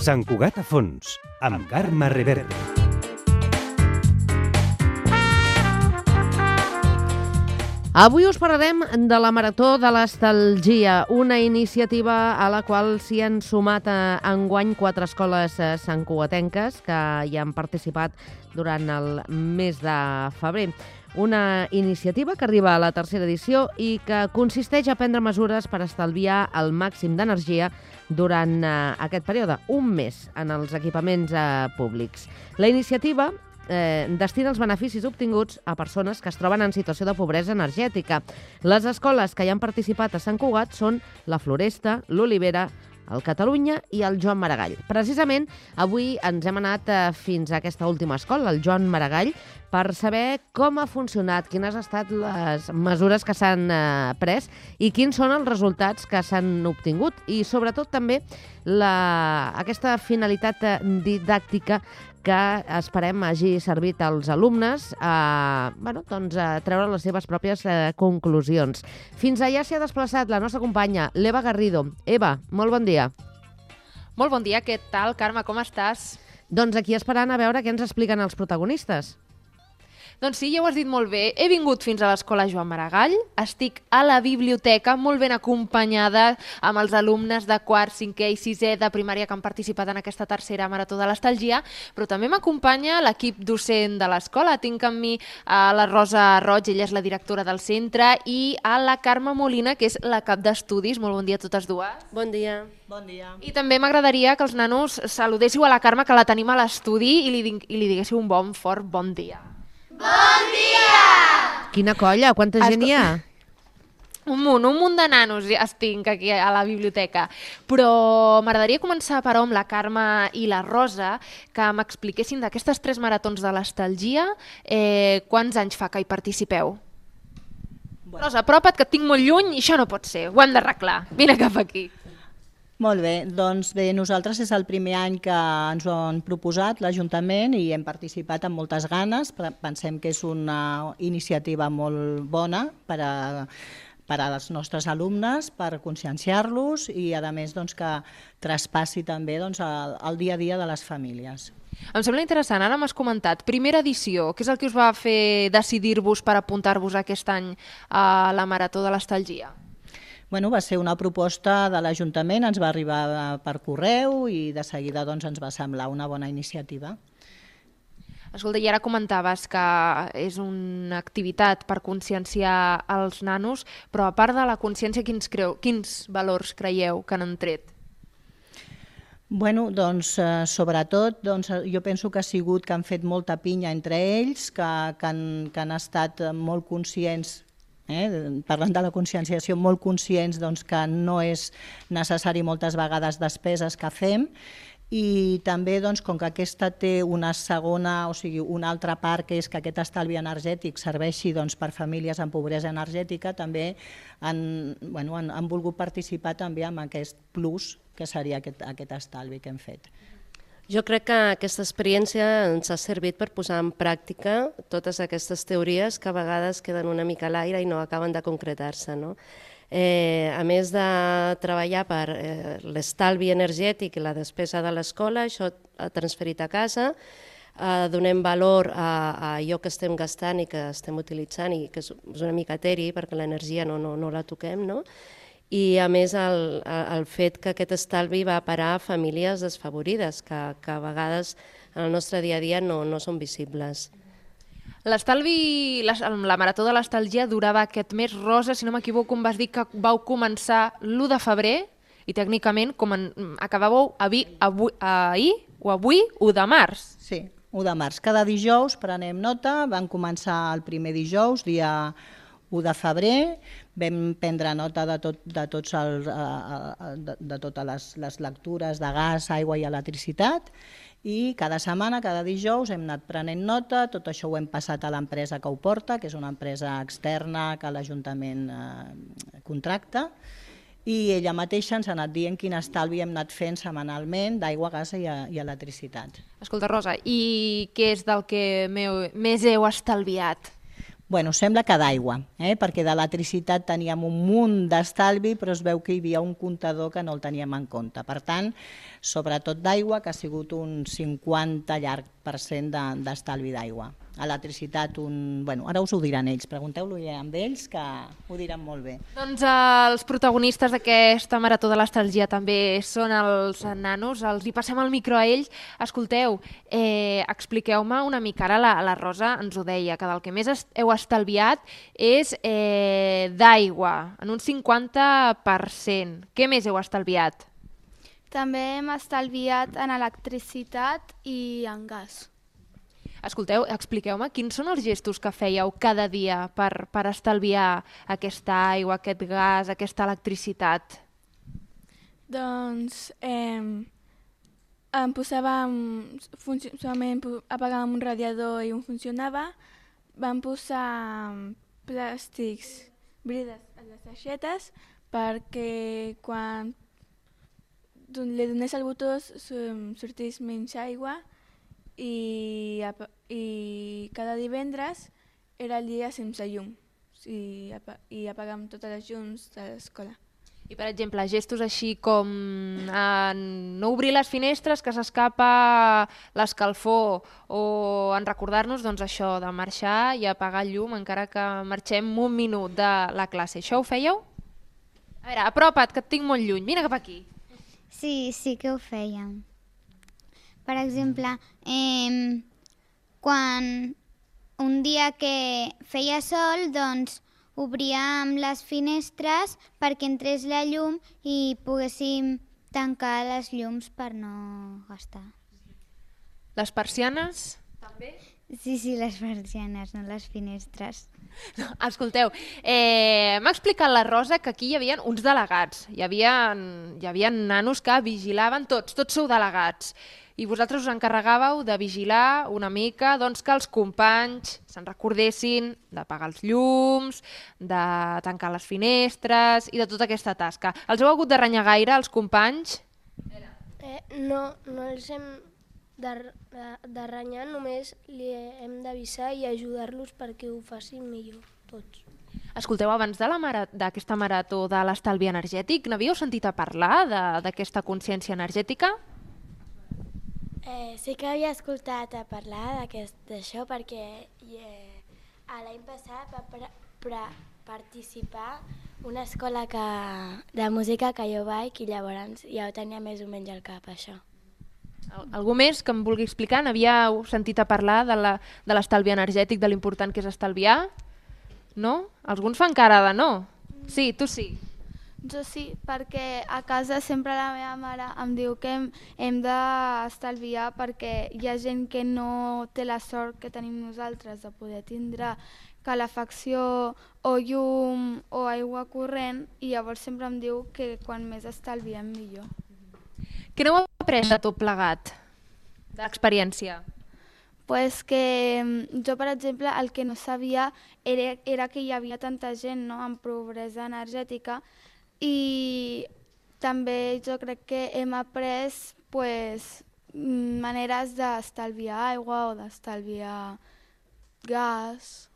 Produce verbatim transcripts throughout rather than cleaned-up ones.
Sant Cugat a fons, amb Carme Reverte. Avui us parlarem de la Marató de l'Estalgia, una iniciativa a la qual s'hi han sumat enguany quatre escoles santcugatenques que hi han participat durant el mes de febrer. Una iniciativa que arriba a la tercera edició i que consisteix a prendre mesures per estalviar el màxim d'energia durant aquest període, un mes, en els equipaments públics. La iniciativa Eh, destina els beneficis obtinguts a persones que es troben en situació de pobresa energètica. Les escoles que hi han participat a Sant Cugat són la Floresta, l'Olivera, el Catalunya i el Joan Maragall. Precisament, avui ens hem anat eh, fins a aquesta última escola, el Joan Maragall, per saber com ha funcionat, quines han estat les mesures que s'han eh, pres i quins són els resultats que s'han obtingut. I sobretot també la, aquesta finalitat didàctica que esperem hagi servit als alumnes a, bueno, doncs a treure les seves pròpies eh, conclusions. Fins allà s'hi ha desplaçat la nostra companya, l'Eva Garrido. Eva, molt bon dia. Molt bon dia, què tal, Carme, com estàs? Doncs aquí esperant a veure què ens expliquen els protagonistes. Doncs sí, ja ho has dit molt bé. He vingut fins a l'escola Joan Maragall, estic a la biblioteca molt ben acompanyada amb els alumnes de quart, cinquè i sisè de primària que han participat en aquesta tercera Marató de l'Estalgia, però també m'acompanya l'equip docent de l'escola. Tinc amb mi a la Rosa Roig, ella és la directora del centre, i a la Carme Molina, que és la cap d'estudis. Molt bon dia a totes dues. Bon dia. Bon dia. I també m'agradaria que els nanos saludéssiu a la Carme, que la tenim a l'estudi, i li, i li diguéssiu un bon fort bon dia. Bon dia! Quina colla, quanta gent hi ha? Un munt, un munt de nanos estic aquí a la biblioteca. Però m'agradaria començar, però, amb la Carme i la Rosa, que m'expliquessin d'aquestes tres maratons de l'Estalgia, eh, quants anys fa que hi participeu? Bueno. Rosa, apropa't, que et tinc molt lluny i això no pot ser, ho hem d'arreglar. Vine cap aquí. Molt bé, doncs bé, nosaltres és el primer any que ens ho han proposat l'Ajuntament i hem participat amb moltes ganes. Pensem que és una iniciativa molt bona per a, per als nostres alumnes, per conscienciar-los i a més doncs, que traspassi també doncs, el, el dia a dia de les famílies. Em sembla interessant, ara m'has comentat, primera edició, què és el que us va fer decidir-vos per apuntar-vos aquest any a la Marató de l'Estalgia? Bueno, va ser una proposta de l'Ajuntament, ens va arribar per correu i de seguida doncs, ens va semblar una bona iniciativa. Escolta, i ara comentaves que és una activitat per conscienciar els nanos, però a part de la consciència, quins, creu, quins valors creieu que han tret? Bueno, doncs, eh, sobretot, doncs, jo penso que ha sigut que han fet molta pinya entre ells, que, que, han, que han estat molt conscients. Eh? Parlant de la conscienciació, molt conscients doncs, que no és necessari moltes vegades despeses que fem i també doncs, com que aquesta té una segona, o sigui, una altra part que és que aquest estalvi energètic serveixi doncs, per famílies amb pobresa energètica, també han, bueno, han, han volgut participar també amb aquest plus que seria aquest, aquest estalvi que hem fet. Jo crec que aquesta experiència ens ha servit per posar en pràctica totes aquestes teories que a vegades queden una mica a l'aire i no acaben de concretar-se. No? Eh, a més de treballar per eh, l'estalvi energètic i la despesa de l'escola, això ha transferit a casa, eh, donem valor a, a allò que estem gastant i que estem utilitzant i que és una mica eteri perquè l'energia no, no, no la toquem, no? I a més el, el fet que aquest estalvi va parar a famílies desfavorides, que, que a vegades en el nostre dia a dia no, no són visibles. L'estalvi, la, la Marató de l'Estalgia durava aquest mes. Rosa, si no m'equivoco, em vas dir que vau començar l'u de febrer i tècnicament com en, acabàveu avui, avui, ahir o avui, u de març. Sí, u de març. Cada dijous prenem nota, van començar el primer dijous, dia u de febrer, vam prendre nota de, tot, de, tots el, de, de totes les, les lectures de gas, aigua i electricitat i cada setmana, cada dijous hem anat prenent nota, tot això ho hem passat a l'empresa que ho porta, que és una empresa externa que l'Ajuntament eh, contracta i ella mateixa ens ha anat dient quin estalvi hem anat fent setmanalment d'aigua, gas i, i electricitat. Escolta, Rosa, i què és del que meu, més heu estalviat? Bueno, sembla que d'aigua, eh? perquè d'electricitat teníem un munt d'estalvi, però es veu que hi havia un comptador que no el teníem en compte. Per tant, sobretot d'aigua, que ha sigut un cinquanta llarg per cent d'estalvi d'aigua. Electricitat, un... bueno, ara us ho diran ells, pregunteu-lo ja amb ells, que ho diran molt bé. Doncs els protagonistes d'aquesta Marató de l'Estalgia també són els nanos, els hi passem el micro a ells. Escolteu, eh, expliqueu-me una mica, ara la, la Rosa ens ho deia, que del que més heu estalviat és eh, d'aigua, en un cinquanta per cent. Què més heu estalviat? També hem estalviat en electricitat i en gas. Escolteu, expliqueu-me quins són els gestos que fèieu cada dia per, per estalviar aquesta aigua, aquest gas, aquesta electricitat? Doncs eh, em posàvem, solament apagàvem un radiador i un funcionava, vam posar plàstics, brides a les aixetes perquè quan li donés el botó sortís menys aigua i, i cada divendres era el dia sense llum i, i apagàvem totes les llums de l'escola. I, per exemple, gestos així com eh, no obrir les finestres, que s'escapa l'escalfor, o en recordar-nos doncs, això de marxar i apagar el llum encara que marxem un minut de la classe. Això ho fèieu? A veure, apropa't, que et tinc molt lluny. Vine cap aquí. Sí, sí que ho fèiem. Per exemple, eh, quan un dia que feia sol, doncs obríem les finestres perquè entrés la llum i poguéssim tancar les llums per no gastar. Les persianes? També? Sí, sí, les persianes, no les finestres. No, escolteu, eh, m'ha explicat la Rosa que aquí hi havia uns delegats. Hi havia, hi havia nanos que vigilaven tots, tots sou delegats. I vosaltres us encarregàveu de vigilar una mica doncs, que els companys se'n recordessin d'apagar els llums, de tancar les finestres i de tota aquesta tasca. Els heu hagut de renyar gaire, els companys? Eh, no, no els hem de, de, de renyar, només li hem d'avisar i ajudar-los perquè ho facin millor, tots. Escolteu, abans d'aquesta marató de l'estalvi energètic, n'havíeu sentit a parlar d'aquesta consciència energètica? Eh, sí que havia escoltat a parlar d'això perquè eh, l'any passat va pre, pre, participar una escola que, de música que jo vaig i llavors ja ho tenia més o menys al cap, això. Algú més que em vulgui explicar? N'havíeu sentit a parlar de l'estalvi energètic, de l'important que és estalviar? No? Alguns fan cara de no. Sí, tu sí. Jo sí, perquè a casa sempre la meva mare em diu que hem, hem d'estalviar perquè hi ha gent que no té la sort que tenim nosaltres de poder tindre calefacció o llum o aigua corrent i llavors sempre em diu que quan més estalviem millor. Què n'heu après de tot plegat, d'experiència? Pues que jo, per exemple, el que no sabia era, era que hi havia tanta gent, no?, amb pobresa energètica. I també jo crec que hem après pues, maneres d'estalviar aigua o d'estalviar gas.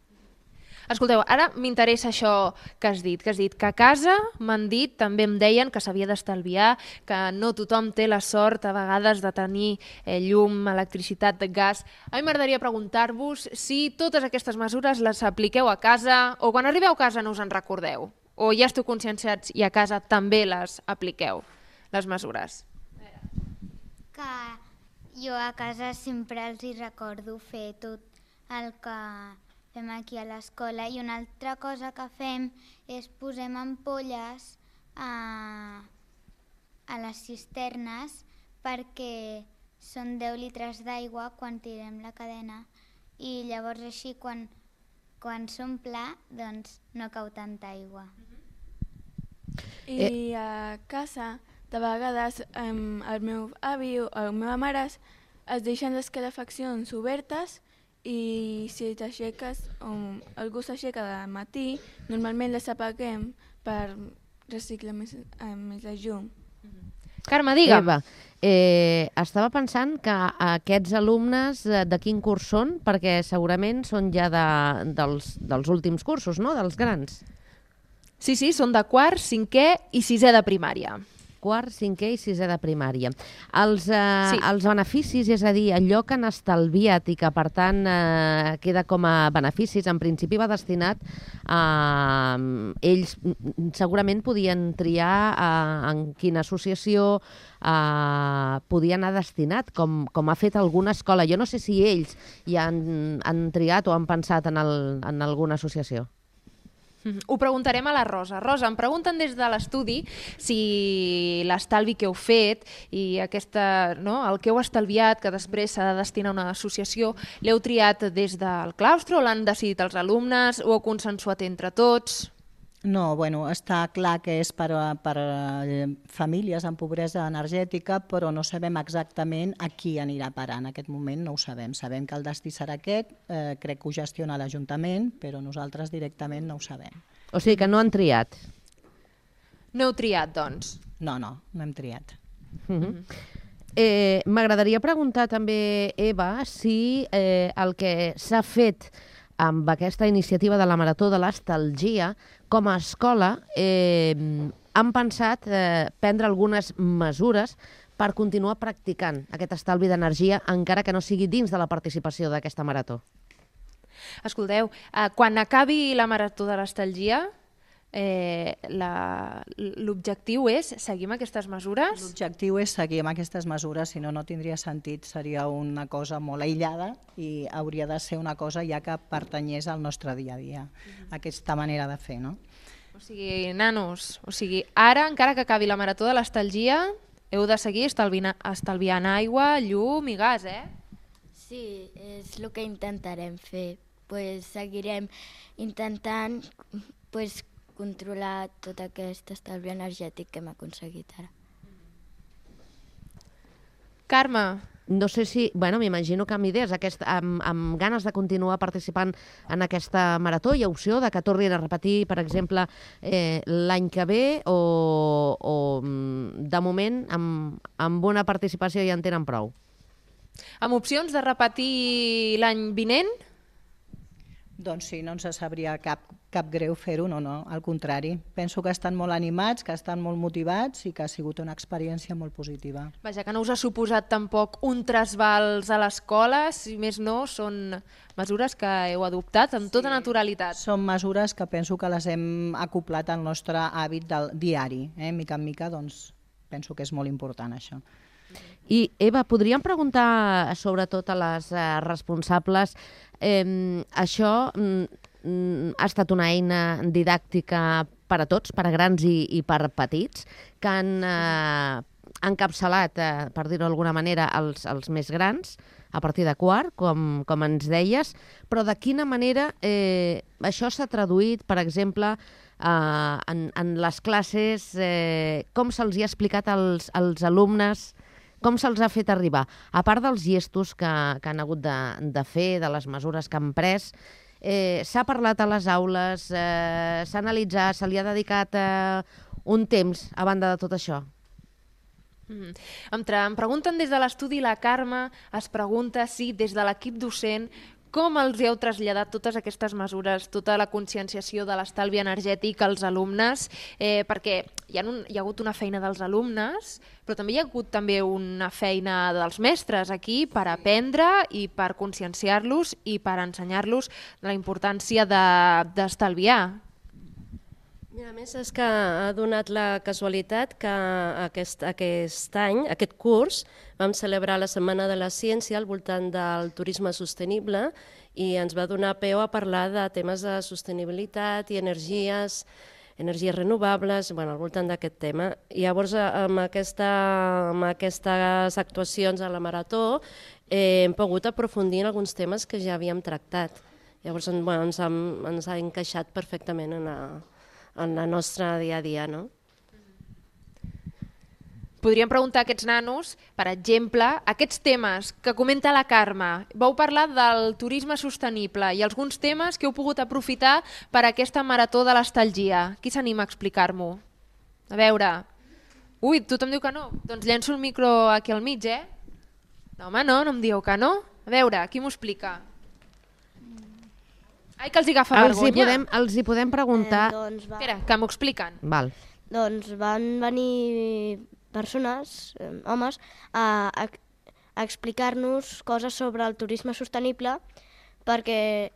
Escolteu, ara m'interessa això que has dit, que has dit que a casa m'han dit, també em deien que s'havia d'estalviar, que no tothom té la sort a vegades de tenir eh, llum, electricitat, gas. A mi m'agradaria preguntar-vos si totes aquestes mesures les apliqueu a casa o quan arribeu a casa no us en recordeu. O ja esteu conscienciats i a casa també les apliqueu, les mesures? Que jo a casa sempre els hi recordo fer tot el que fem aquí a l'escola i una altra cosa que fem és posem ampolles a, a les cisternes perquè són deu litres d'aigua quan tirem la cadena i llavors així quan, quan s'omple doncs no cau tanta aigua. I a casa, de vegades, um, el meu avi o la meva mare es deixen les calefaccions obertes i si t'aixeques, o algú s'aixeca de matí, normalment les apaguem per reciclar més, eh, més la llum. Carme, digue'm. Eva, eh, estava pensant que aquests alumnes eh, de quin curs són, perquè segurament són ja de, dels, dels últims cursos, no?, dels grans. Sí, sí, són de quart, cinquè i sisè de primària. Quart, cinquè i sisè de primària. Els, eh, Sí. els beneficis, és a dir, allò que han estalviat i que, per tant, eh, queda com a beneficis, en principi va destinat a... Ells mm, segurament podien triar eh, en quina associació eh, podia anar destinat, com, com ha fet alguna escola. Jo no sé si ells ja han, han triat o han pensat en, el, en alguna associació. Mm-hmm. Ho preguntarem a la Rosa. Rosa, em pregunten des de l'estudi si l'estalvi que heu fet i aquesta, no, el que heu estalviat, que després s'ha de destinar a una associació, l'heu triat des del claustre o l'han decidit els alumnes o heu consensuat entre tots? No, bueno, està clar que és per, a- per a famílies amb pobresa energètica, però no sabem exactament a qui anirà a parar. En aquest moment no ho sabem. Sabem que el destí serà aquest, eh, crec que ho gestiona l'Ajuntament, però nosaltres directament no ho sabem. O sigui que no han triat. No heu triat, doncs? No, no, no hem triat. Mhm. Eh, M'agradaria preguntar també, Eva, si eh, el que s'ha fet amb aquesta iniciativa de la Marató de l'Estalgia, com a escola, eh, han pensat eh, prendre algunes mesures per continuar practicant aquest estalvi d'energia, encara que no sigui dins de la participació d'aquesta marató. Escolteu, eh, quan acabi la Marató de l'Estalgia, eh, la- l'objectiu és seguir amb aquestes mesures? L'objectiu és seguir amb aquestes mesures, si no, no tindria sentit, seria una cosa molt aïllada i hauria de ser una cosa ja que pertanyés al nostre dia a dia, aquesta manera de fer, no? O sigui, nanos, o sigui, ara, encara que acabi la Marató de l'Estalgia, heu de seguir estalviant, estalviant aigua, llum i gas, eh? Sí, és el que intentarem fer. Pues seguirem intentant pues, controlar tot aquest estalvi energètic que hem aconseguit ara. Carme, No sé si, bueno, m'imagino que amb idees, aquest, amb, amb ganes de continuar participant en aquesta marató, hi ha opció de que tornin a repetir, per exemple, eh, l'any que ve o, o mm, de moment amb, amb una participació ja en tenen prou? amb opcions de repetir l'any vinent? Doncs sí, no ens sabria cap, cap greu fer-ho, no, no, al contrari. Penso que estan molt animats, que estan molt motivats i que ha sigut una experiència molt positiva. Vaja, que no us ha suposat tampoc un trasbals a l'escola, si més no, són mesures que heu adoptat amb tota naturalitat. Són mesures que penso que les hem acoplat al nostre hàbit del diari. Eh? Mica en mica, doncs, penso que és molt important això. I, Eva, podríem preguntar sobretot a les eh, responsables, eh, això mm, ha estat una eina didàctica per a tots, per a grans i, i per petits, que han eh, encapçalat, eh, per dir-ho d'alguna manera, els, els més grans, a partir de quart, com, com ens deies, però de quina manera eh, això s'ha traduït, per exemple, eh, en, en les classes, eh, com se'ls hi ha explicat als, als alumnes, com se'ls ha fet arribar? A part dels gestos que, que han hagut de, de fer, de les mesures que han pres, eh, s'ha parlat a les aules, eh, s'ha analitzat, se li ha dedicat eh, un temps a banda de tot això? Mm. Em, tra- em pregunten des de l'estudi, la Carme es pregunta si des de l'equip docent com els heu traslladat totes aquestes mesures, tota la conscienciació de l'estalvi energètic als alumnes, eh, perquè hi ha, un, hi ha hagut una feina dels alumnes, però també hi ha hagut també una feina dels mestres aquí per aprendre i per conscienciar-los i per ensenyar-los la importància de- d'estalviar. Mira, a més, és que ha donat la casualitat que aquest, aquest any, aquest curs, vam celebrar la Setmana de la Ciència al voltant del turisme sostenible i ens va donar peu a parlar de temes de sostenibilitat i energies, energies renovables, bueno, al voltant d'aquest tema. I llavors, amb, aquesta, amb aquestes actuacions a la Marató, eh, hem pogut aprofundir en alguns temes que ja havíem tractat. Llavors, bueno, ens, ha, ens ha encaixat perfectament en la, en la nostra dia a dia, no? Podríem preguntar a aquests nanos, per exemple, aquests temes que comenta la Carme. Vau parlar del turisme sostenible i alguns temes que heu pogut aprofitar per a aquesta marató de l'estalgia. Qui s'anima a explicar-m'ho? A veure, Ui, tothom diu que no. Doncs llenço el micro aquí al mig, eh? No, home, no, no em dieu que no. A veure, qui m'ho explica? Ai, que els hi agafa Els hi vergonya. podem, els hi podem preguntar... Eh, doncs va. Espera, que m'ho expliquen. Val. Doncs van venir persones, eh, homes, a, a, a explicar-nos coses sobre el turisme sostenible perquè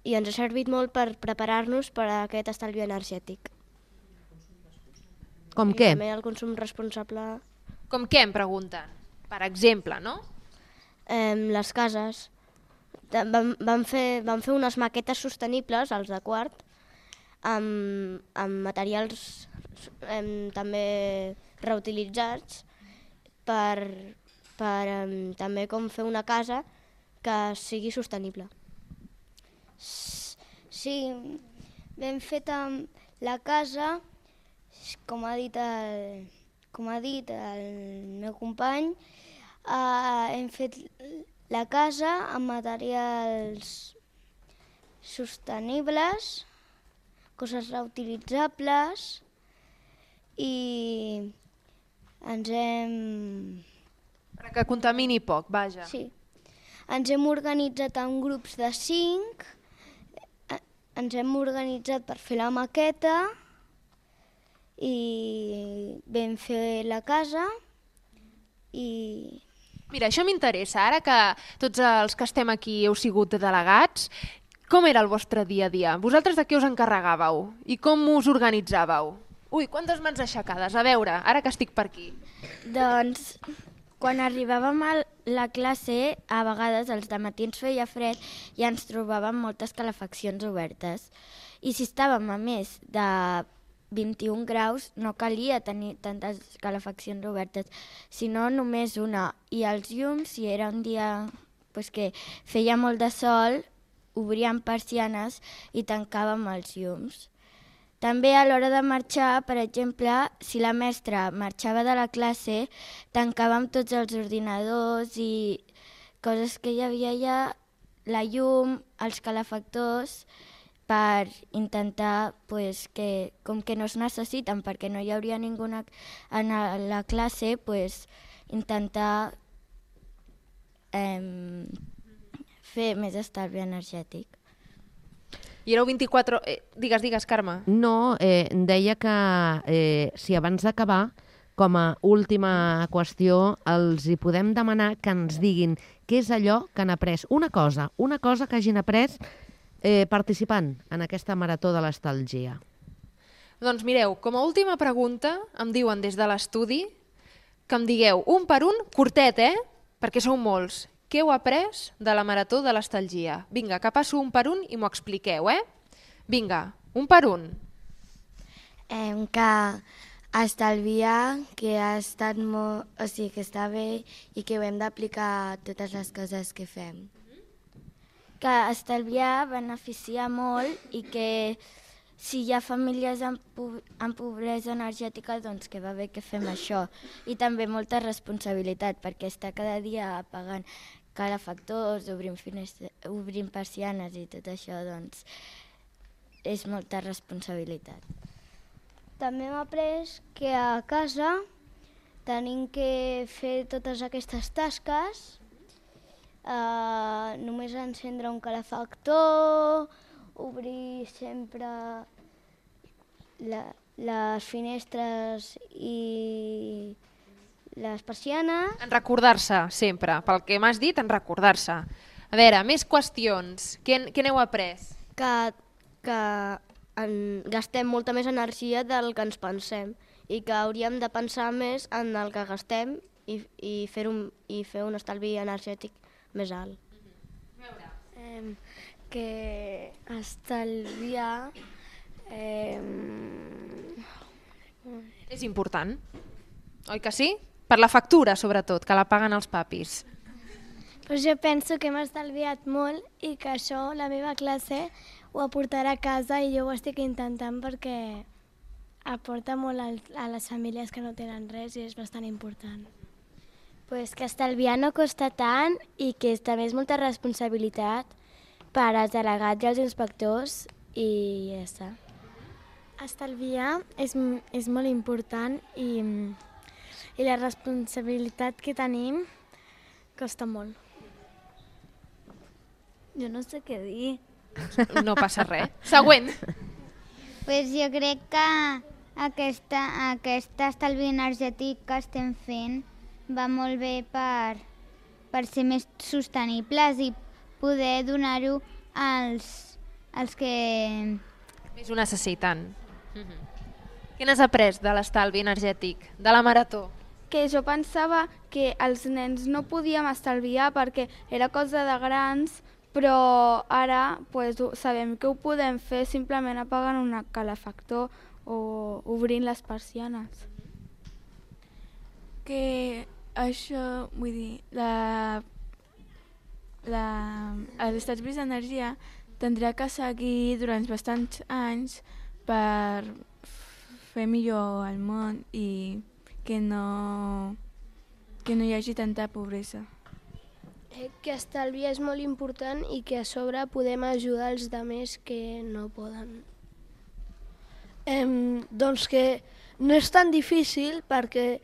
i ens ha servit molt per preparar-nos per a aquest estalvi energètic. Com I què? també el consum responsable. Com què, em pregunten? Per exemple, no? Eh, les cases. Vam, vam, fer, vam fer unes maquetes sostenibles, els de quart, amb, amb materials eh, també reutilitzats per, per eh, també com fer una casa que sigui sostenible. Sí, ben feta la casa, com ha dit el, com ha dit el meu company, eh, hem fet la casa amb materials sostenibles, coses reutilitzables i ens hem... Que contamini poc, vaja. Sí. Ens hem organitzat en grups de cinc, ens hem organitzat per fer la maqueta i vam fer la casa i... Mira, això m'interessa. Ara que tots els que estem aquí heu sigut delegats, com era el vostre dia a dia? Vosaltres de què us encarregàveu? I com us organitzàveu? Ui, quantes mans aixecades? A veure, ara que estic per aquí. Doncs, quan arribàvem a la classe, a vegades els dematins feia fred i ens trobàvem moltes calefaccions obertes. I si estàvem a més de vint-i-un graus, no calia tenir tantes calefaccions obertes, sinó només una. I els llums, si era un dia pues, que feia molt de sol, obríem persianes i tancàvem els llums. També a l'hora de marxar, per exemple, si la mestra marxava de la classe, tancàvem tots els ordinadors i coses que hi havia allà, la llum, els calefactors, per intentar pues, que, com que no es necessiten perquè no hi hauria ningú en la classe, pues, intentar eh, fer més estalvi energètic. I éreu vint-i-quatre... Eh, digues, digues, Carme. No, eh, deia que eh, si abans d'acabar, com a última qüestió, els hi podem demanar que ens diguin què és allò que han après. Una cosa, una cosa que hagin après eh, participant en aquesta marató de l'estalgia. Doncs mireu, com a última pregunta, em diuen des de l'estudi que em digueu un per un, curtet, eh? Perquè sou molts. Què heu après de la marató de l'estalgia? Vinga, que passo un per un i m'ho expliqueu, eh? Vinga, un per un. Eh, que estalviar, que ha estat molt... O sigui, que està bé i que ho hem d'aplicar a totes les coses que fem. Que estalviar beneficia molt i que si hi ha famílies amb, amb pobresa energètica, doncs que va bé que fem això. I també molta responsabilitat, perquè estar cada dia pagant calefactors, obrint, finestres, obrint persianes i tot això, doncs és molta responsabilitat. També hem après que a casa tenim que fer totes aquestes tasques, uh, només encendre un calefactor, obrir sempre la, les finestres i les persianes. En recordar-se, sempre. Pel que m'has dit, en recordar-se. A veure, més qüestions. Què, què n'heu après? Que, que en, gastem molta més energia del que ens pensem i que hauríem de pensar més en el que gastem i, i, fer, un, i fer un estalvi energètic més alt. Eh, que estalviar eh... és important, oi que sí? Per la factura, sobretot, que la paguen els papis. Pues jo penso que hem estalviat molt i que això la meva classe ho aportarà a casa i jo ho estic intentant perquè aporta molt a les famílies que no tenen res i és bastant important. Pues que estalviar no costa tant i que també és molta responsabilitat per als delegats i els inspectors i ja està. Estalviar és, és molt important i i la responsabilitat que tenim costa molt. Jo no sé què dir. No passa res. Següent. Pues jo crec que aquesta, aquest estalvi energètic que estem fent va molt bé per, per ser més sostenibles i poder donar-ho als, als que... Més ho necessiten. Mm-hmm. Què n'has après de l'estalvi energètic, de la marató? Que jo pensava que els nens no podíem estalviar perquè era cosa de grans, però ara pues, sabem que ho podem fer simplement apagant un calefactor o obrint les persianes. Que això, vull dir, la, la, els estalvis d'energia tindrà que seguir durant bastants anys per fer millor el món i que no, que no hi hagi tanta pobresa. Que estalviar és molt important i que a sobre podem ajudar els altres que no poden. Eh, doncs que no és tan difícil perquè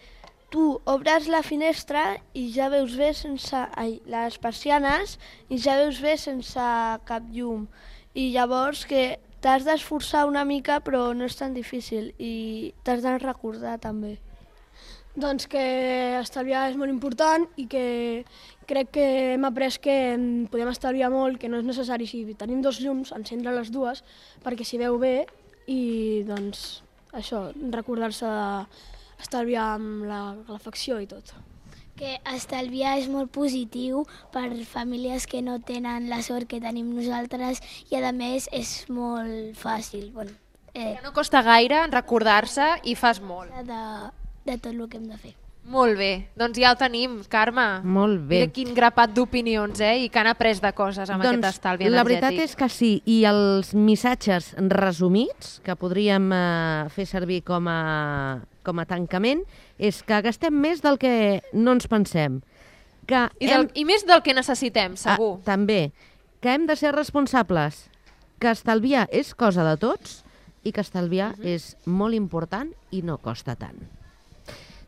tu obres la finestra i ja veus bé sense ai, les persianes i ja veus bé sense cap llum. I llavors que t'has d'esforçar una mica però no és tan difícil i t'has de recordar també. Doncs que estalviar és molt important i que crec que hem après que podem estalviar molt, que no és necessari, si tenim dos llums, encendre les dues perquè s'hi veu bé i doncs això, recordar-se d'estalviar amb la calefacció i tot. Que estalviar és molt positiu per famílies que no tenen la sort que tenim nosaltres i a més és molt fàcil. Bueno, eh, no costa gaire recordar-se i fas molt. De, de tot el que hem de fer. Molt bé, doncs ja ho tenim, Carme. Molt bé. Mira quin grapat d'opinions, eh? I que han après de coses amb doncs, aquest estalvi energètic. La veritat és que sí, i els missatges resumits que podríem eh, fer servir com a, com a tancament és que gastem més del que no ens pensem. Que I, del, hem... I més del que necessitem, segur. Ah, també. Que hem de ser responsables, que estalviar és cosa de tots i que estalviar uh-huh. és molt important i no costa tant.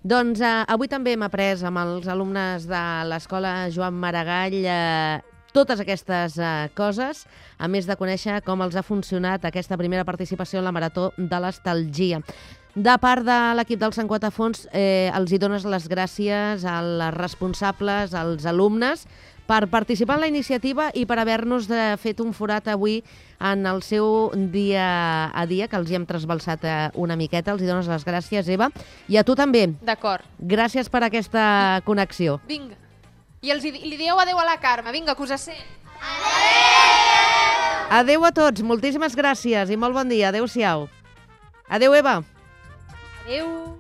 Doncs eh, avui també hem après amb els alumnes de l'Escola Joan Maragall eh, totes aquestes eh, coses, a més de conèixer com els ha funcionat aquesta primera participació en la Marató de l'Estalgia. De part de l'equip del Sant Quatafons, eh, els hi dones les gràcies als responsables, als alumnes, per participar en la iniciativa i per haver-nos fet un forat avui en el seu dia a dia, que els hi hem trasbalsat una miqueta. Els hi dones les gràcies, Eva. I a tu també. D'acord. Gràcies per aquesta connexió. Vinga. I els hi, li dieu adeu a la Carme. Vinga, que us sent. Adeu! Adeu a tots. Moltíssimes gràcies i molt bon dia. Adéu-siau. Adeu, Eva. Adeu.